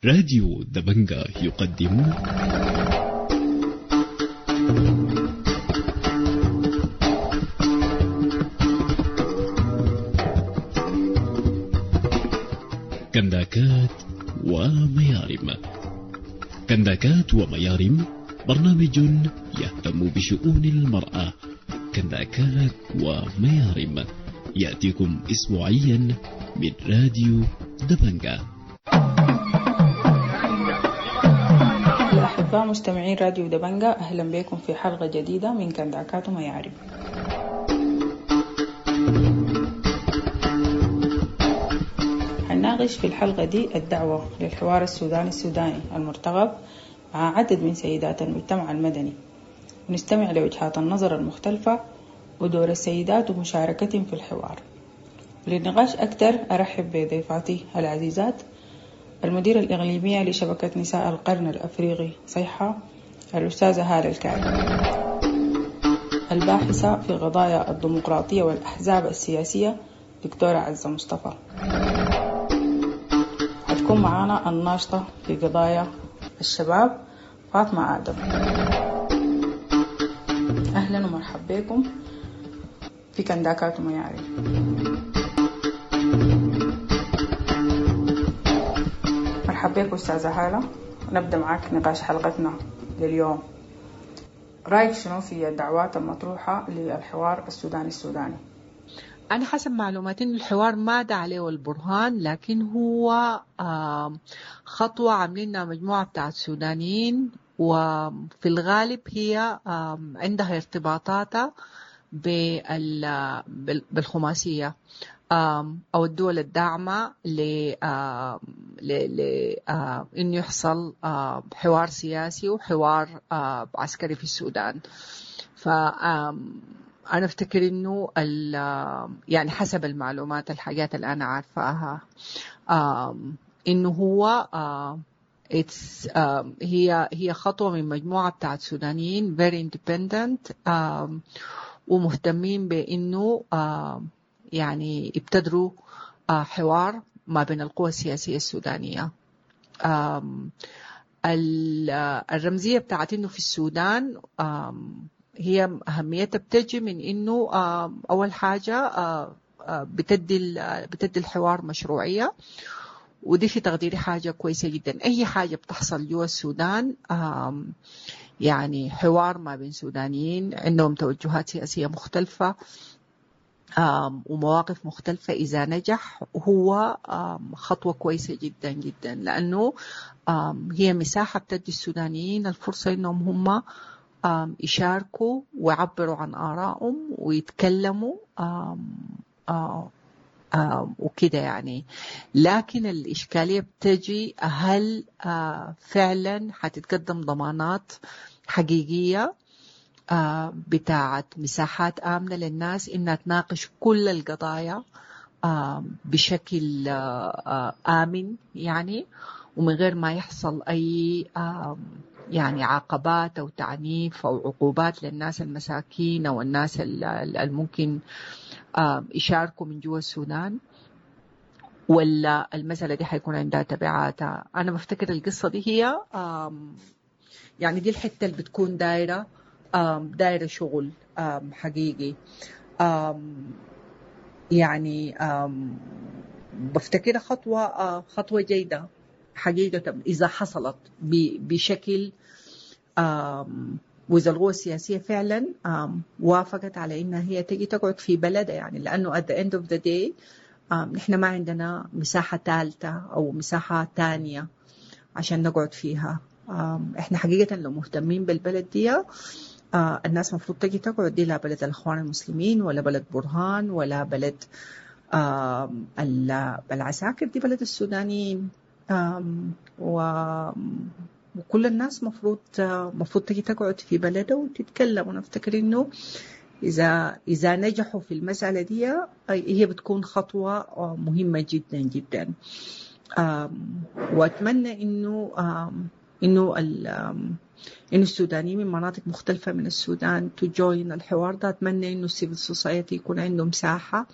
راديو دبنجا يقدم كنداكات وميارم. كنداكات وميارم برنامج يهتم بشؤون المرأة. كنداكات وميارم يأتيكم أسبوعيا من راديو دبنجا. الأحباء مستمعين راديو دبنجا، أهلا بكم في حلقة جديدة من كنداكات وميارم. هنناقش في الحلقة دي الدعوة للحوار السوداني السوداني المرتقب مع عدد من سيدات المجتمع المدني، ونستمع لوجهات النظر المختلفة ودور السيدات ومشاركتهم في الحوار. للنقاش أكثر أرحب بضيفاتي العزيزات المديرة الإقليمية لشبكة نساء القرن الأفريقي صيحة الأستاذة هالة الكعبي، الباحثة في قضايا الديمقراطية والأحزاب السياسية دكتورة عزة مصطفى، هتكون معانا الناشطة في قضايا الشباب فاطمة آدم. أهلا ومرحبا بكم في كنداكات ومياري. مرحبا بك أستاذة هالة، ونبدأ معاك نقاش حلقتنا لليوم. رأيك شنو في الدعوات المطروحة للحوار السوداني السوداني؟ أنا حسب معلوماتي إنه الحوار ما دعا عليه البرهان، لكن هو خطوة عاملينها مجموعة بتاعت سودانيين، وفي الغالب هي عندها ارتباطاتها بالخماسية أو الدول الداعمة إنه يحصل حوار سياسي وحوار عسكري في السودان. ف أنا أفتكر إنه يعني حسب المعلومات الحاجات اللي أنا عارفاها إنه هو هي خطوة من مجموعة بتاعت سودانيين very independent ومهتمين بإنه يعني ابتدروا حوار ما بين القوى السياسية السودانية. الرمزية بتاعت إنه في السودان هي أهميتها بتجي من إنه أول حاجة بتدي الحوار مشروعية، ودي في تقديري حاجة كويسة جدا. أي حاجة بتحصل جوا السودان يعني حوار ما بين سودانيين عندهم توجهات سياسية مختلفة ومواقف مختلفة، إذا نجح هو خطوة كويسة جدا جدا، لأنه هي مساحة بتدي السودانيين الفرصة إنهم هم يشاركوا ويعبروا عن آرائهم ويتكلموا وكده يعني. لكن الإشكالية بتجي هل فعلا حتتقدم ضمانات حقيقية بتاعت مساحات آمنة للناس إنها تناقش كل القضايا بشكل آمن يعني، ومن غير ما يحصل أي يعني عقبات أو تعنيف أو عقوبات للناس المساكين أو الناس الممكن يشاركوا من جوا السودان، ولا المسألة دي حيكون عندها تبعاتها. أنا بفتكر القصة دي هي يعني دي الحتة اللي بتكون دايرة شغل حقيقي. يعني بفتكرها خطوة جيدة حقيقة إذا حصلت بشكل وإذا القوى السياسية فعلا وافقت على إنها هي تجي تقعد في بلدها، يعني لأنه at the end of the day نحن ما عندنا مساحة ثالثة أو مساحة تانية عشان نقعد فيها. إحنا حقيقة لو مهتمين بالبلد دي الناس مفروض تجي تقعد، دي لا بلد الإخوان المسلمين ولا بلد برهان ولا بلد العساكر، دي بلد السودانيين. وكل الناس مفروض تجي تقعد في بلده وتتكلم. ونفتكر إنه إذا نجحوا في المسألة دي هي بتكون خطوة مهمة جدا جدا. وأتمنى إنه إنه السودانيين من مناطق مختلفة من السودان to join الحوار ده. أتمنى إنه ال civil society يكون عندهم مساحة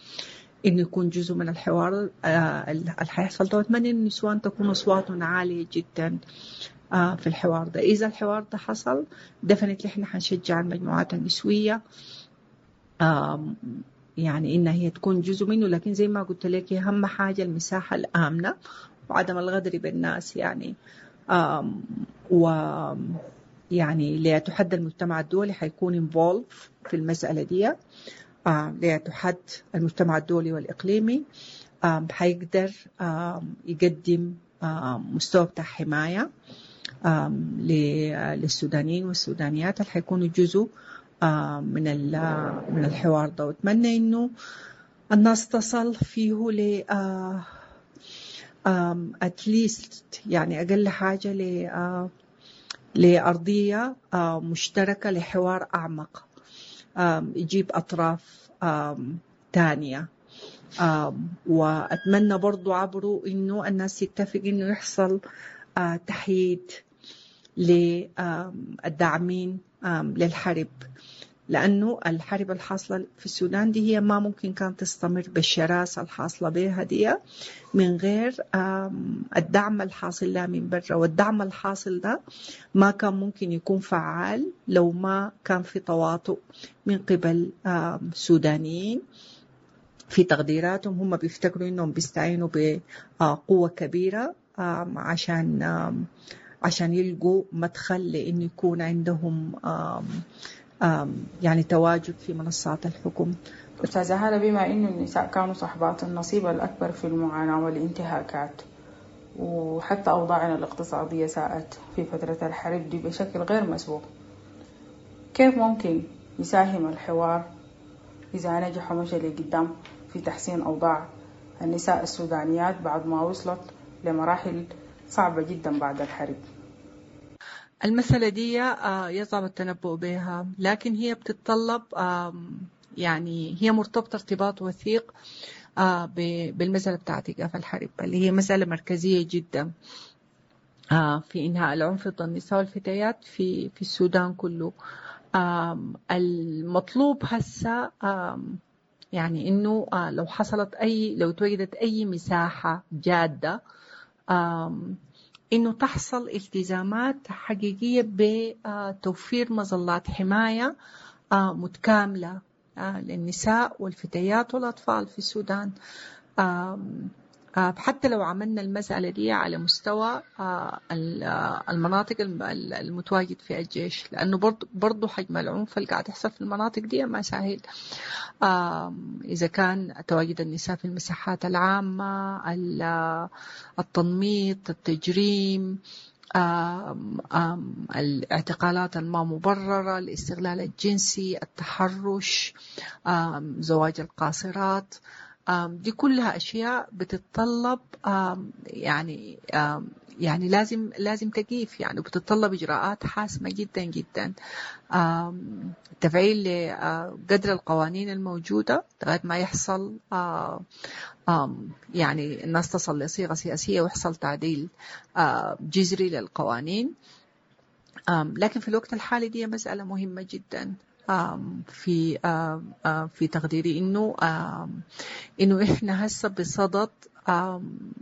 إنه يكون جزء من الحوار اللي حيحصل ده. وأتمنى إن النسوان تكون أصواتهم عالية جدا في الحوار ده. إذا الحوار ده حصل definitely إحنا حنشجع المجموعات النسوية يعني إنها هي تكون جزء منه. لكن زي ما قلت لك أهم حاجة المساحة الآمنة وعدم الغدر بالناس يعني. و يعني ليتحدى المجتمع الدولي حيكون involved في المسألة دي. ليتحد المجتمع الدولي والإقليمي حيقدر يقدم مستوى بتاع حماية للسودانيين والسودانيات اللي حيكونوا جزء من الحوار ده. وأتمنى إنه الناس تصل فيه ل at least يعني أقل حاجة لأرضية مشتركة لحوار أعمق يجيب أطراف تانية. وأتمنى برضو عبره إنه الناس يتفق إنه يحصل تحييد للداعمين للحرب، لأنه الحرب الحاصلة في السودان دي هي ما ممكن كانت تستمر بالشراسة الحاصلة بها دي من غير الدعم الحاصل لها من برا. والدعم الحاصل ده ما كان ممكن يكون فعال لو ما كان في تواطؤ من قبل سودانيين في تقديراتهم. هم بيفتكروا إنهم بيستعينوا بقوة كبيرة عشان يلقوا مدخل لإنه يكون عندهم يعني تواجد في منصات الحكم. أستاذة هالة، بما إنه النساء كانوا صاحبات النصيب الأكبر في المعاناة والانتهاكات، وحتى أوضاعنا الاقتصادية ساءت في فترة الحرب دي بشكل غير مسبوق، كيف ممكن يساهم الحوار إذا نجح ومشى لقدام في تحسين أوضاع النساء السودانيات بعد ما وصلت لمراحل صعبة جدا بعد الحرب؟ المسألة دي يصعب التنبؤ بها، لكن هي بتتطلب يعني هي مرتبطة ارتباط وثيق بالمسألة بتاعت إيقاف الحرب، اللي هي مسألة مركزية جدا في إنهاء العنف ضد النساء والفتيات في السودان كله. المطلوب هسه يعني إنه لو حصلت لو توجدت أي مساحة جادة إنه تحصل التزامات حقيقية بتوفير مظلات حماية متكاملة للنساء والفتيات والأطفال في السودان. حتى لو عملنا المسألة دي على مستوى المناطق المتواجد فيها الجيش، لأنه برضو حجم العنف اللي قاعد يحصل في المناطق دي ما سهل. إذا كان تواجد النساء في المساحات العامة، التنميط، التجريم، الاعتقالات الما مبررة، الاستغلال الجنسي، التحرش، زواج القاصرات، دي كلها أشياء بتتطلب يعني يعني لازم تقيف يعني، وبتتطلب إجراءات حاسمة جدا جدا، تفعيل لقدر القوانين الموجودة لغاية ما يحصل يعني الناس تصل لصيغة سياسية ويحصل تعديل جذري للقوانين. لكن في الوقت الحالي دي مسألة مهمة جدا في في تقديري، انه احنا هسه بصدد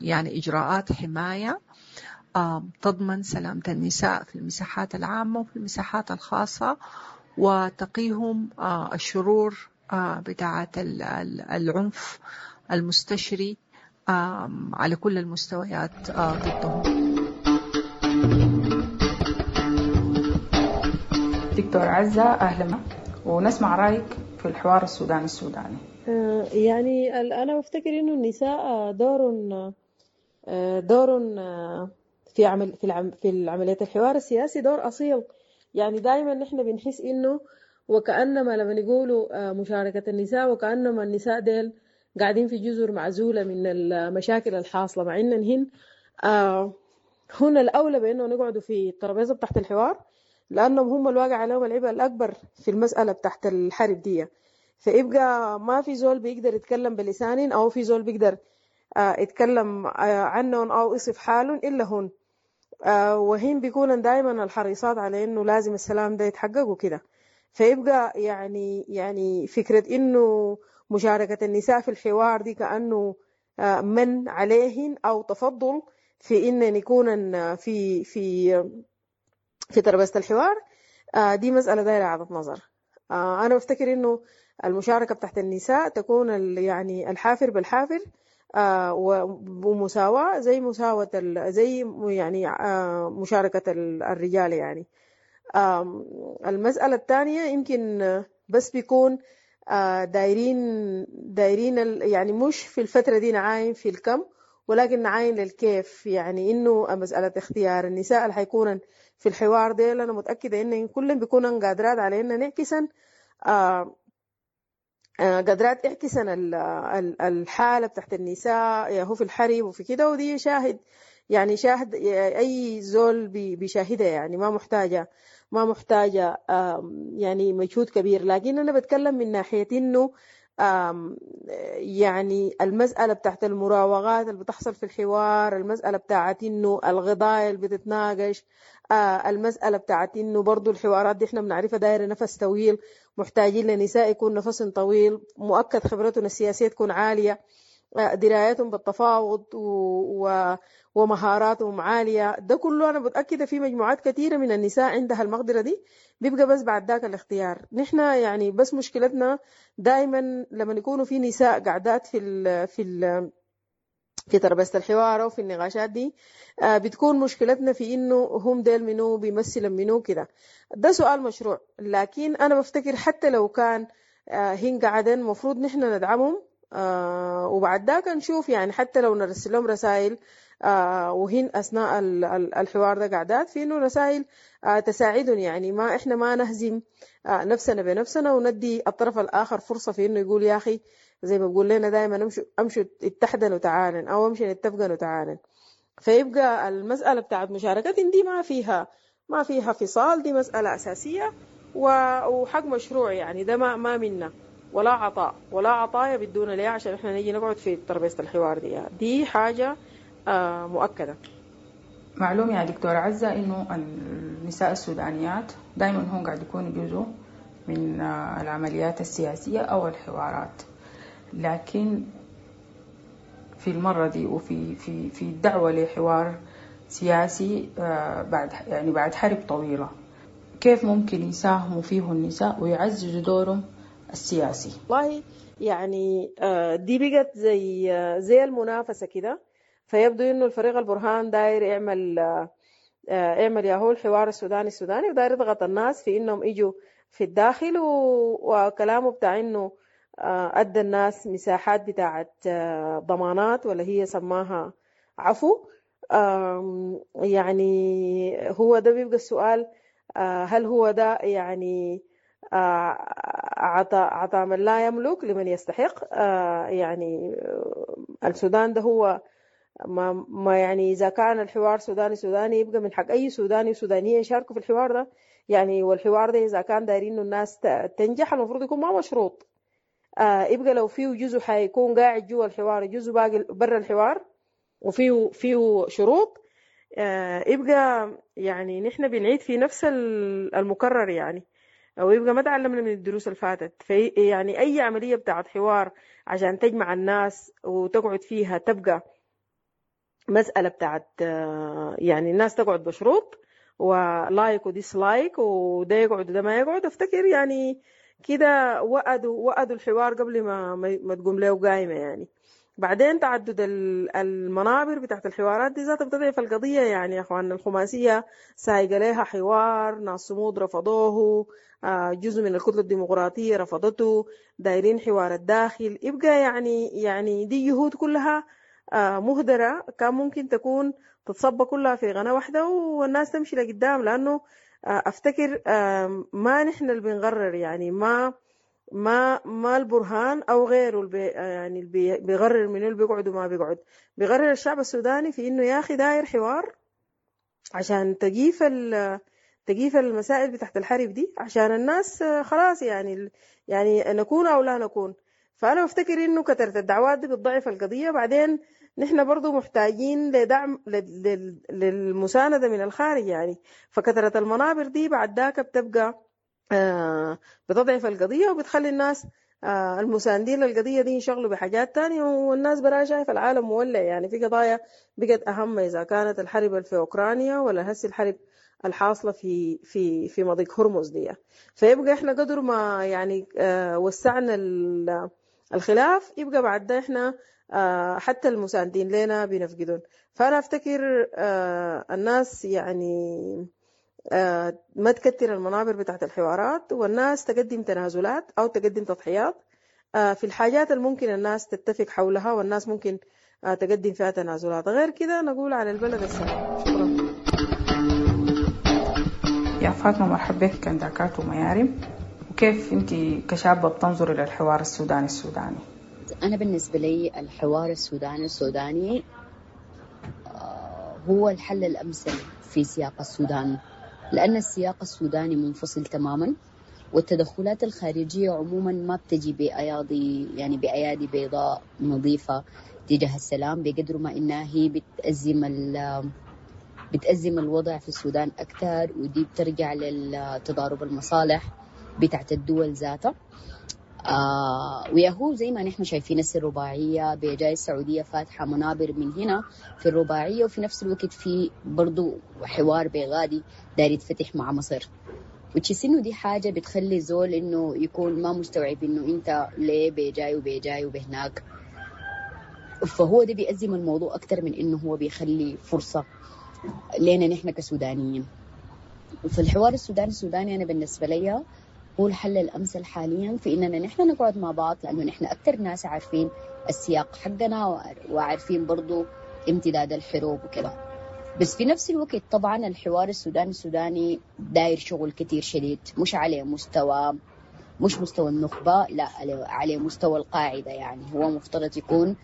يعني اجراءات حمايه تضمن سلامه النساء في المساحات العامه وفي المساحات الخاصه، وتقيهم الشرور بتاعه العنف المستشري على كل المستويات ضدهم. دكتور عزة، أهلا، ونسمع رأيك في الحوار السوداني السوداني. يعني أنا بفتكر إنه النساء دور في عمل في العملية الحوار السياسي دور أصيل. يعني دائما نحن بنحس إنه وكأنما لما يقولوا مشاركة النساء وكأنما النساء ديل قاعدين في جزر معزولة من المشاكل الحاصلة، مع إن هن هنا الأولى بإنه نقعدوا في الترابيزة بتاعت الحوار، لأنهم هم الواقع عليهم العبء الأكبر في المسألة بتاعت الحرب دي. فيبقى ما في زول بيقدر يتكلم بلسان أو في زول بيقدر يتكلم عنهم أو يصف حالهم إلا هن، وهن بيكونن دائما الحريصات على إنه لازم السلام ده يتحقق وكده. فيبقى يعني فكرة إنه مشاركة النساء في الحوار دي كأنه من عليهن أو تفضل في إن يكون في في في ترابيزة الحوار، دي مسألة دايرة إعادة نظر. أنا بفتكر إنه المشاركة بتاعت النساء تكون يعني الحافر بالحافر، ومساواة زي مساواة زي يعني مشاركة الرجال يعني. المسألة الثانية يمكن بس بيكون دايرين يعني مش في الفترة دي نعاين في الكم، ولكن نعاين للكيف. يعني إنه مسألة اختيار النساء اللي حيكونن في الحوار ديل، أنا متأكدة إن كلن بيكونن قادرات على إن نعكسن قادرات يعكسن الحالة بتاعت النساء يا هو في الحرب وفي كده، ودي شاهد يعني شاهد أي زول بيشاهدها، يعني ما محتاجة يعني مجهود كبير. لكن أنا بتكلم من ناحية إنه يعني المسألة بتاعت المراوغات اللي بتحصل في الحوار، المسألة بتاعت إنه القضايا اللي بتتناقش، المسألة بتاعت إنه برضو الحوارات دي إحنا بنعرفها دايرة نفس طويل، محتاجين لنساء يكون نفس طويل، مؤكد خبرتهم السياسية تكون عالية، درايتهم بالتفاوض ومهاراتهم عالية. ده كله أنا متأكدة في مجموعات كثيرة من النساء عندها المقدرة دي، بيبقى بس بعد ذاك الاختيار. نحن يعني بس مشكلتنا دائما لما يكونوا في نساء قاعدات في ترابيزة الحوار وفي النقاشات دي، بتكون مشكلتنا في إنه هم ديل منو بيمثلوا منو كده. ده سؤال مشروع، لكن أنا بفتكر حتى لو كان هن قاعدين مفروض نحن ندعمهم، وبعد ذاك نشوف يعني حتى لو نرسل لهم رسائل، وهن أثناء الحوار ده قاعدات في إنه رسائل تساعدهم، يعني ما إحنا ما نهزم نفسنا بنفسنا وندي الطرف الآخر فرصة في إنه يقول يا أخي زي ما بقول لنا دائما أمشوا اتحدن وتعالن، أو أمشي نتفقن وتعالن. فيبقى المسألة بتاعت مشاركتهم دي ما فيها فصال، دي مسألة أساسية وحق مشروع، يعني ده ما منا ولا عطاء ولا عطايا بدون ليه عشان احنا نيجي نقعد في ترابيزة الحوار دي حاجة مؤكدة. معلوم يا دكتورة عزة إنه النساء السودانيات دايما هم قاعد يكونوا جزء من العمليات السياسية أو الحوارات، لكن في المرة دي وفي في في الدعوة لحوار سياسي بعد حرب طويلة، كيف ممكن يساهموا فيه النساء ويعززوا دورهم السياسي؟ والله يعني دي بقت زي المنافسة كده. فيبدو إنه الفريق البرهان داير يعمل ياهو الحوار السوداني السوداني، وداير يضغط الناس في إنهم يجوا في الداخل، وكلامه بتاع إنه أدى الناس مساحات بتاعت ضمانات ولا هي سماها عفو. يعني هو ده بيبقى السؤال، هل هو ده يعني عطى من لا يملك لمن يستحق؟ يعني السودان ده هو ما يعني إذا كان الحوار سوداني سوداني يبقى من حق أي سوداني وسودانية يشاركوا في الحوار ده يعني. والحوار ده إذا كان دايرين إنه الناس تنجح المفروض يكون ما مشروط، يبقى لو فيه جزء حيكون قاعد جوا الحوار، جزء باقي برا الحوار وفيه شروط، يبقى يعني نحن بنعيد في نفس المكرر يعني، أو يبقى ما تعلمنا من الدروس اللي فاتت. في يعني أي عملية بتاعت حوار عشان تجمع الناس وتقعد فيها تبقى مسألة بتاعت يعني الناس تقعد بشروط و like و dislike وده يقعد وده ما يقعد. افتكر يعني كده وأدوا الحوار قبل ما تقوم له قايمة يعني. بعدين تعدد المنابر بتاعت الحوارات دي ذاتها بتضعف القضية يعني يا أخوان. الخماسية سايقة لها حوار، ناس صمود رفضوه، جزء من الكتلة الديمقراطية رفضته، دايرين حوار الداخل. يبقى يعني دي جهود كلها مهدرة، كان ممكن تكون تتصب كلها في قناة واحدة والناس تمشي لقدام. لأنه أفتكر ما نحن اللي بنغرر يعني، ما ما ما البرهان أو غيره يعني اللي بيغرر منه اللي بيقعد وما بيقعد، بيغرر الشعب السوداني في إنه يا أخي داير حوار عشان تجيف المسائل بتاعت الحرب دي، عشان الناس خلاص يعني نكون أو لا نكون. فأنا بفتكر إنه كثرة الدعوات دي بتضعف القضية. بعدين نحن برضو محتاجين لدعم للمساندة من الخارج يعني، فكثرة المنابر دي بعد ذاك بتبقى بتضعف القضية وبتخلي الناس المساندين للقضية دي ينشغلوا بحاجات تانية، والناس براها شايفة العالم مولع. يعني في قضايا بقت أهم، إذا كانت الحرب في أوكرانيا ولا هسي الحرب الحاصلة في في في مضيق هرمز دي. فيبقى إحنا قدر ما يعني وسعنا الخلاف، يبقى بعد ده إحنا حتى المساندين لنا بنفقدون. فأنا أفتكر الناس يعني ما تكتر المنابر بتاعت الحوارات، والناس تقدم تنازلات أو تقدم تضحيات في الحاجات اللي ممكن الناس تتفق حولها، والناس ممكن تقدم فيها تنازلات. غير كده نقول على البلد السلام. شكرا يا فاطمة. مرحبا بك كنداكات وميارم. وكيف أنت كشابة بتنظري للحوار السوداني السوداني؟ أنا بالنسبة لي الحوار السوداني السوداني هو الحل الأمثل في سياق السودان، لأن السياق السوداني منفصل تماما، والتدخلات الخارجية عموما ما بتجي بأيادي، يعني بأيادي بيضاء نظيفة تجاه السلام، بقدر ما إنها هي بتأزم الوضع في السودان أكثر، ودي بترجع للتضارب المصالح بتاعت الدول ذاتها. وياهو زي ما نحن شايفين الرباعية بجاي السعودية فاتحة منابر من هنا في الرباعية، وفي نفس الوقت في برضو حوار بغادي داير يتفتح مع مصر، وتحس إنه دي حاجة بتخلي زول إنه يكون ما مستوعب إنه أنت ليه بجاي وبجاي وبهناك. فهو ده بيأزم الموضوع أكتر من إنه هو بيخلي فرصة لنا نحن كسودانيين. فالحوار السوداني السوداني أنا بالنسبة لي هو الحل الأمثل حاليا في إننا نحن نقعد مع بعض، لأنه نحن أكثر ناس عارفين السياق حقنا وعارفين برضو امتداد الحروب وكده. بس في نفس الوقت طبعا الحوار السوداني السوداني داير شغل كتير شديد، مش على مستوى، مش مستوى النخبة، لا على مستوى القاعدة. يعني هو مفترض يكون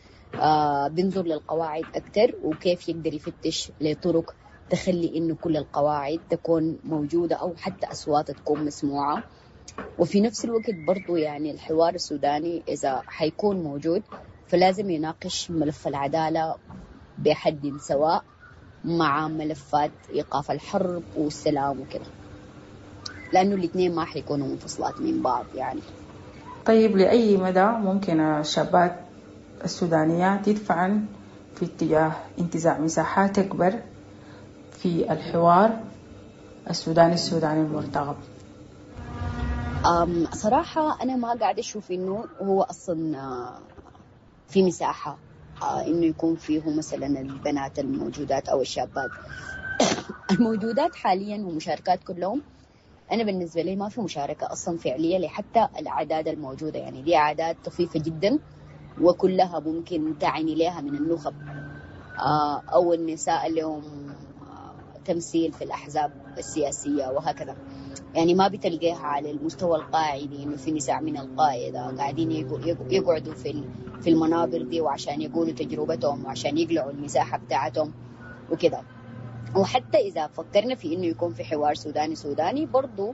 بينظر للقواعد أكثر، وكيف يقدر يفتش لطرق تخلي إنه كل القواعد تكون موجودة أو حتى أصواتها تكون مسموعة. وفي نفس الوقت برضو يعني الحوار السوداني إذا حيكون موجود فلازم يناقش ملف العدالة بحد سواء مع ملفات إيقاف الحرب والسلام وكده، لأنه الاثنين ما حيكونوا منفصلات من بعض يعني. طيب، لأي مدى ممكن الشابات السودانيات يدفعن في اتجاه انتزاع مساحات أكبر في الحوار السوداني السوداني المرتقب؟ صراحة أنا ما قاعدة أشوف إنه هو أصلا في مساحة إنه يكون فيه مثلا البنات الموجودات أو الشابات الموجودات حاليا ومشاركات كلهم. أنا بالنسبة لي ما في مشاركة أصلا فعلية لحتى الأعداد الموجودة، يعني دي أعداد طفيفة جدا وكلها ممكن تعني لها من النخب أو النساء اللي هم تمثيل في الأحزاب السياسية وهكذا. يعني ما بتلقاها على المستوى القاعدي إنه في نساء من القاعدة قاعدين يقعدوا في المنابر دي وعشان يقولوا تجربتهم وعشان يقلعوا المساحة بتاعتهم وكده. وحتى إذا فكرنا في إنه يكون في حوار سوداني سوداني برضو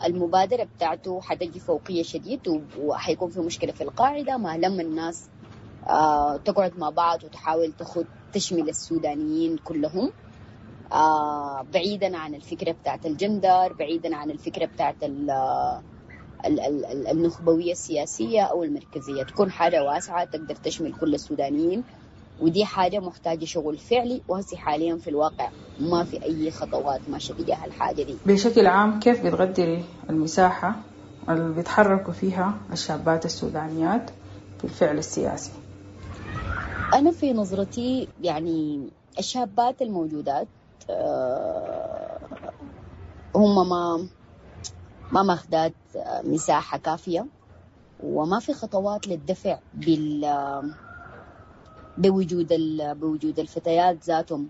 المبادرة بتاعته حتجي فوقية شديد، وحيكون في مشكلة في القاعدة ما لما الناس تقعد مع بعض وتحاول تشمل السودانيين كلهم، بعيدا عن الفكرة بتاعت الجندر، بعيدا عن الفكرة بتاعت النخبوية السياسية أو المركزية، تكون حاجة واسعة تقدر تشمل كل السودانيين. ودي حاجة محتاجة شغل فعلي، وهسي حاليا في الواقع ما في أي خطوات ماشية تجاه الحاجة دي. بشكل عام كيف بتقدري المساحة اللي بيتحركوا فيها الشابات السودانيات في الفعل السياسي؟ أنا في نظرتي يعني الشابات الموجودات هم ما ماخدات مساحة كافية، وما في خطوات للدفع بوجود الفتيات ذاتهم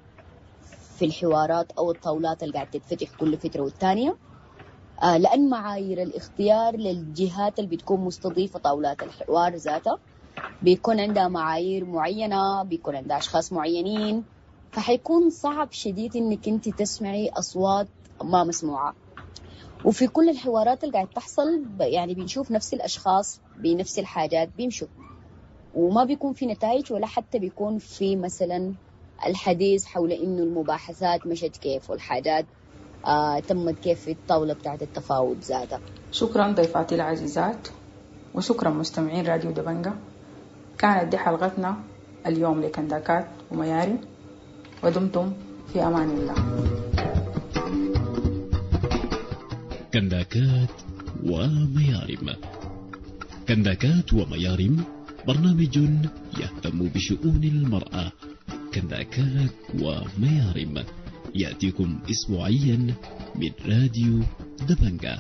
في الحوارات أو الطاولات اللي قاعدة تتفتح كل فترة والتانية، لأن معايير الاختيار للجهات اللي بتكون مستضيفة طاولات الحوار ذاتها بيكون عندها معايير معينة، بيكون عندها أشخاص معينين، فحيكون صعب شديد إنك أنت تسمعي أصوات ما مسموعة. وفي كل الحوارات اللي قاعد تحصل يعني بنشوف نفس الأشخاص بنفس الحاجات بيمشوا، وما بيكون في نتائج، ولا حتى بيكون في مثلا الحديث حول إنه المباحثات مشت كيف والحاجات تمت كيف في الطاولة بتاعت التفاوض ذاتها. شكرا ضيفاتي العزيزات وشكرا مستمعين راديو دبنجة. كانت دي حلقتنا اليوم لكنداكات وميارم، ودمتم في أمان الله. كنداكات وميارم. كنداكات وميارم برنامج يهتم بشؤون المرأة. كنداكات وميارم يأتيكم أسبوعيا من راديو دبنجة.